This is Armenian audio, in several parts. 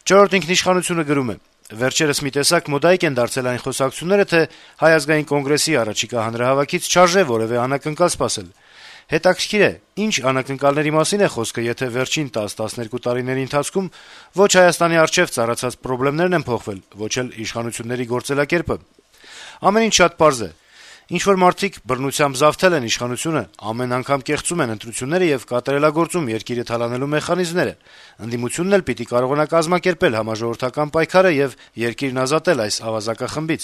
«Չորրորդ ինքնիշխանություն»-ը գրում է. - «Վերջերս մի տեսակ մոդայիկ են դարձել այն խոսակցությունները, թե Հայ ազգային կոնգրեսի առաջիկա հանրահավաքից չարժե որեւէ անակնկալ սպասել: Հետաքրքիր է, ինչ անակնկալների մասին է խոսքը, եթե վերջին 10-12 տարիների ընթացքում ոչ Հայաստանի առջեւ ծառացած պրոբլեմներն են փոխվել, ոչ էլ իշխանությունների գործելակերպը: Ամեն ինչ շատ պարզ է: Ինչ-որ մարդիկ բռնությամբ զավթել են իշխանությունը, ամեն անգամ կեղծում են ընտրությունները եւ կատարելագործում երկիրը թալանելու մեխանիզմները: Ընդդիմությունն էլ պիտի կարողանա կազմակերպել համաժողովրդական պայքարը եւ երկիրն ազատել այս ավազակախմբից: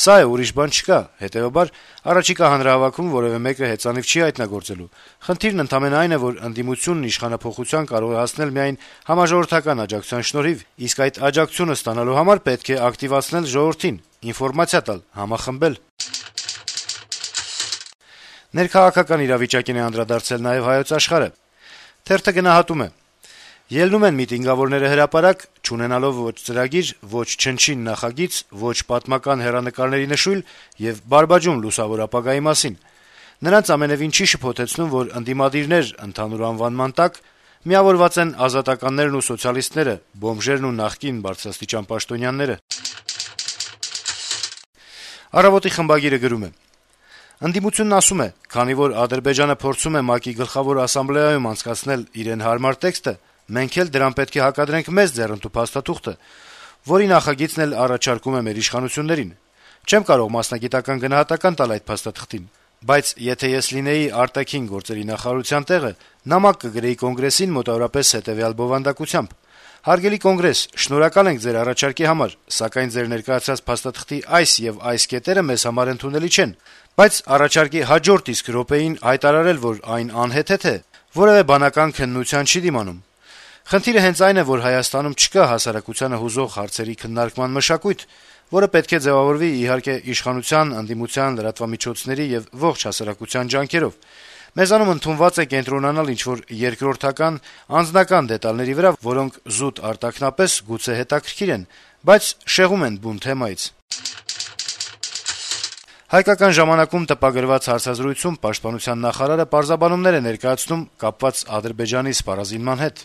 Սա է, ուրիշ բան չկա, հետեւաբար առաջիկա հանրահավաքում որեւէ մեկը հեծանիվ չի հայտնագործելու: Խնդիրն ընդամենը այն է, որ ընդդիմությունն իշխանափոխության կարող է հասնել միայն համաժողովրդական աջակցության շնորհիվ, իսկ այդ աջակցությունը ստանալու համար պետք է ակտիվացնել ժողովրդին, ինֆորմացիա տալ, համախմբել»: Ներքաղաքական իրավիճակին է անդրադարձել նաեւ «Հայոց Աշխարհ»-ը: Թերթը գնահատում է. - «Ելնում են միտինգավորները հրապարակ, չունենալով ոչ ծրագիր, ոչ չնչին նախագիծ, ոչ պատմական հեռանկարների նշույլ եւ բարբաջում լուսավոր ապագայի մասին: Նրանց ամենեւին չի շփոթեցնում, որ ընդդիմադիրներ ընդհանուր անվանման տակ միավորված են ազատականներն ու սոցիալիստները, բոմժերն ու նախկին բարձրաստիճան պաշտոնյաները»: «Առավոտ»-ի խմբագիրը գրում է. - «Ընդդիմությունն ասում է, քանի որ Ադրբեջանը փորձում է ՄԱԿ-ի Գլխավոր ասամբլեայում անցկացնել իրեն հարմար տեքստը, մենք էլ դրան պետք է հակադրենք մեզ ձեռնտու փաստաթուղթը, որի նախագիծն էլ առաջարկում է մեր իշխանություններին: Չեմ կարող մասնագիտական գնահատական տալ այդ փաստաթղթին, բայց եթե ես լինեի արտաքին գործերի նախարարության տեղը, նամակ կգրեի Կոնգրեսին մոտավորապես հետեւյալ բովանդակությամբ. «Հարգելի Կոնգրես, շնորհակալ ենք ձեր առաջարկի համար, սակայն ձեր ներկայացրած փաստաթղթի այս եւ այս կետերը մեզ համար ընդունելի չեն, բայց առաջարկի հաջորդ իսկ րոպեին հայտարարել, որ այն անհեթեթ է, որեւէ բանական քննության չի դիմանում: Խնդիրը հենց այն է, որ Հայաստանում չկա հասարակությանը հուզող հարցերի քննարկման մշակույթ, որը պետք է ձեւավորվի, իհարկե, իշխանության, ընդդիմության, լրատվամիջոցների եւ ողջ հասարակության ջանքերով: Մեզանում ընդունված է կենտրոնանալ ինչ-որ երկրորդական, անձնական դետալների վրա, որոնք զուտ արտաքնապես գուցե հետաքրքիր են, բայց շեղում են բուն թեմայից»: «Հայկական ժամանակ»-ում տպագրված հարցազրույցում պաշտպանության նախարարը պարզաբանումներ է ներկայացնում կապված Ադրբեջանի սպառազինման հետ: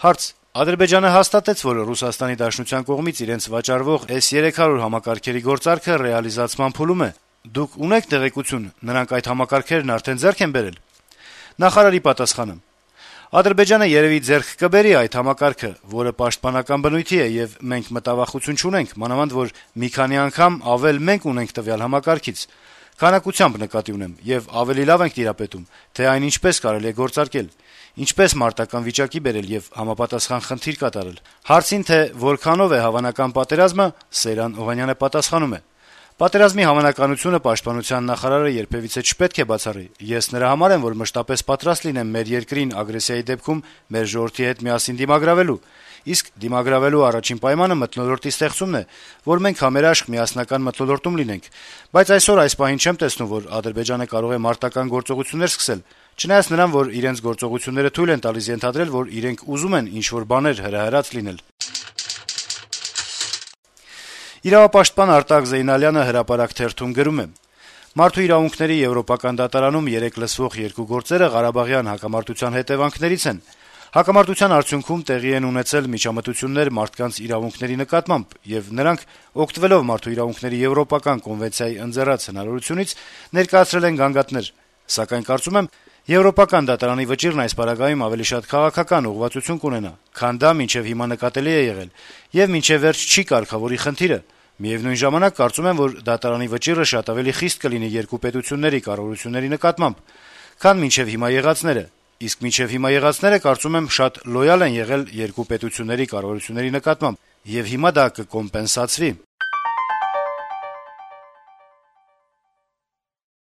Հարց. - «Ադրբեջանը հաստատեց, որ Ռուսաստանի Դաշնության կողմից իրենց վաճառվող S-300 համակարգերի գործարքը ռեալիզացման փուլում է: Դուք ունե՞ք տեղեկություն, նրանք այդ համակարգերն արդեն ձեռք են բերել»: Նախարարի պատասխանը. - «Ադրբեջանը երեւի ձեռք կբերի այդ համակարգը, որը պաշտպանական բնույթի է, եւ մենք մտավախություն չունենք, մանավանդ որ մի քանի անգամ ավել մենք ունենք տվյալ համակարգից: Քանակությամբ նկատի ունեմ, եւ ավելի լավ ենք տիրապետում, թե այն ինչպես կարելի է գործարկել, ինչպես մարտական վիճակի բերել եւ համապատասխան խնդիր կատարել»: Հարցին, թե որքանով է հավանական պատերազմը, Սեյրան Օհանյանը պատասխանում է. - «Պատերազմի հավանականությունը պաշտպանության նախարարը երբեւիցե չպետք է բացառի: Ես նրա համար եմ, որ մշտապես պատրաստ լինեմ մեր երկրին ագրեսիայի դեպքում մեր ժողովրդի հետ միասին դիմագրավելու: Իսկ դիմագրավելու առաջին պայմանը մթնոլորտի ստեղծումն է, որ մենք համերաշխ միասնական մթնոլորտում լինենք: Բայց այսօր այս պահին չեմ տեսնում, որ Ադրբեջանը կարող է մարտական գործողություններ սկսել, չնայած նրան, որ իրենց գործողությունները թույլ են տալիս ենթադրել, որ իրենք ուզում են ինչ-որ բաներ հրահրած լինել»: Իրավապաշտպան Արտակ Զեյնալյանը «Հրապարակ» թերթում գրում է. - «Մարդու իրավունքների եվրոպական դատարանում երեկ լսվող երկու գործերը ղարաբաղյան հակամարտության հետեւանքներից են: Հակամարտության արդյունքում տեղի են ունեցել միջամտություններ մարդկանց իրավունքների նկատմամբ, եւ նրանք, օգտվելով Մարդու իրավունքների եվրոպական կոնվենցիայի ընձեռած հնարավորությունից, ներկայացրել են գանգատներ: Սակայն կարծում եմ, Եվրոպական դատարանի վճիռն այս պարագայում ավելի շատ քաղաքական ուղղվածություն կունենա, քան դա մինչեւ հիմա նկատելի է եղել, եւ մինչեւ վերջ չի կարգավորի խնդիրը: Միեւնույն ժամանակ, կարծում եմ, որ դատարանի վճիռը շատ ավելի խիստ կլինի երկու պետությունների կառավարությունների նկատմամբ, քան մինչեւ հիմա եղածները, իսկ մինչեւ հիմա եղածները, կարծում եմ, շատ լոյալ են եղել երկու պետությունների կառավարությունների նկատմամբ, եւ հիմա դա կկոմպենսացվի»: